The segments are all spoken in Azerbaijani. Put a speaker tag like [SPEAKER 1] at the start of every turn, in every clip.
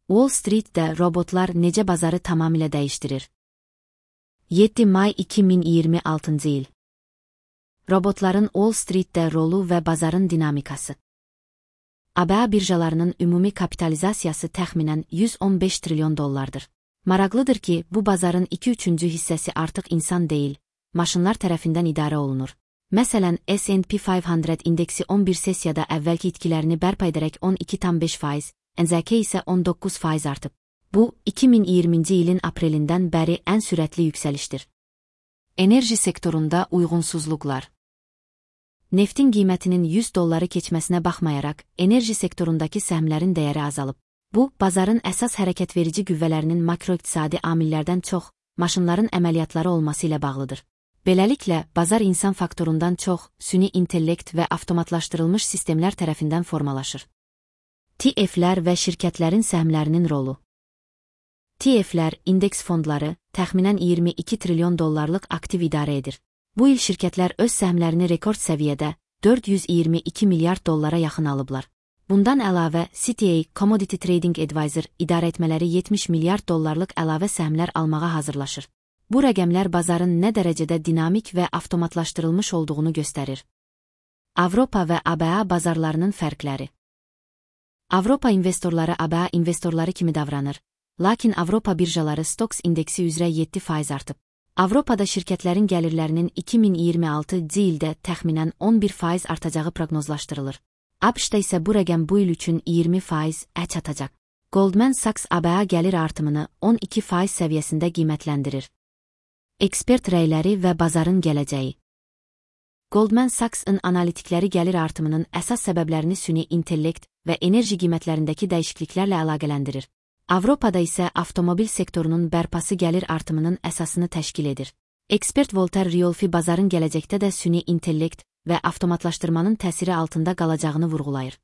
[SPEAKER 1] Wall Street'də robotlar necə bazarı tamamilə dəyişdirir? 7 may 2026 il. Robotların Wall Street'də rolu və bazarın dinamikası. ABA birjalarının ümumi kapitalizasiyası təxminən 115 trilyon dollardır. Maraqlıdır ki, bu bazarın 2/3 hissəsi artıq insan deyil, maşınlar tərəfindən idarə olunur. Məsələn, S&P 500 indeksi 11 sessiyada əvvəlki itkilərini bərpa edərək 12,5%, NZK isə 19% artıb. Bu, 2020-ci ilin aprelindən bəri ən sürətli yüksəlişdir. Enerji sektorunda uyğunsuzluqlar. Neftin qiymətinin 100 dolları keçməsinə baxmayaraq, enerji sektorundakı səhmlərin dəyəri azalıb. Bu, bazarın əsas hərəkətverici qüvvələrinin makroiqtisadi amillərdən çox, maşınların əməliyyatları olması ilə bağlıdır. Beləliklə, bazar insan faktorundan çox, süni intellekt və avtomatlaşdırılmış sistemlər tərəfindən formalaşır. TF-lər və şirkətlərin səhmlərinin rolu. TF-lər, indeks fondları, təxminən 22 trilyon dollarlıq aktiv idarə edir. Bu il şirkətlər öz səhmlərini rekord səviyyədə 422 milyard dollara yaxın alıblar. Bundan əlavə, CTA, Commodity Trading Advisor, idarəetmələri 70 milyard dollarlıq əlavə səhmlər almağa hazırlaşır. Bu rəqəmlər bazarın nə dərəcədə dinamik və avtomatlaşdırılmış olduğunu göstərir. Avropa və ABA bazarlarının fərqləri. Avropa investorları ABA investorları kimi davranır, lakin Avropa birjaları Stoxx indeksi üzrə 7% artıb. Avropada şirkətlərin gəlirlərinin 2026-cı ildə təxminən 11% artacağı proqnozlaşdırılır. ABŞ-da isə bu rəqəm bu il üçün 20%-ə çatacaq. Goldman Sachs ABA gəlir artımını 12% səviyyəsində qiymətləndirir. Ekspert rəyləri və bazarın gələcəyi. Goldman Sachs'ın analitikləri gəlir artımının əsas səbəblərini süni intellekt və enerji qiymətlərindəki dəyişikliklərlə əlaqələndirir. Avropada isə avtomobil sektorunun bərpası gəlir artımının əsasını təşkil edir. Ekspert Voltaire Riolfi bazarın gələcəkdə də süni intellekt və avtomatlaşdırmanın təsiri altında qalacağını vurğulayır.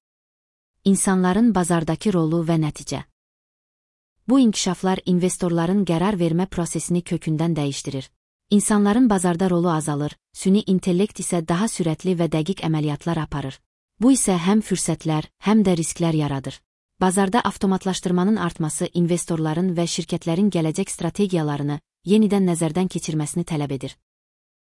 [SPEAKER 1] İnsanların bazardakı rolu və nəticə. Bu inkişaflar investorların qərar vermə prosesini kökündən dəyişdirir. İnsanların bazarda rolu azalır, süni intellekt isə daha sürətli və dəqiq əməliyyatlar aparır. Bu isə həm fürsətlər, həm də risklər yaradır. Bazarda avtomatlaşdırmanın artması investorların və şirkətlərin gələcək strategiyalarını yenidən nəzərdən keçirməsini tələb edir.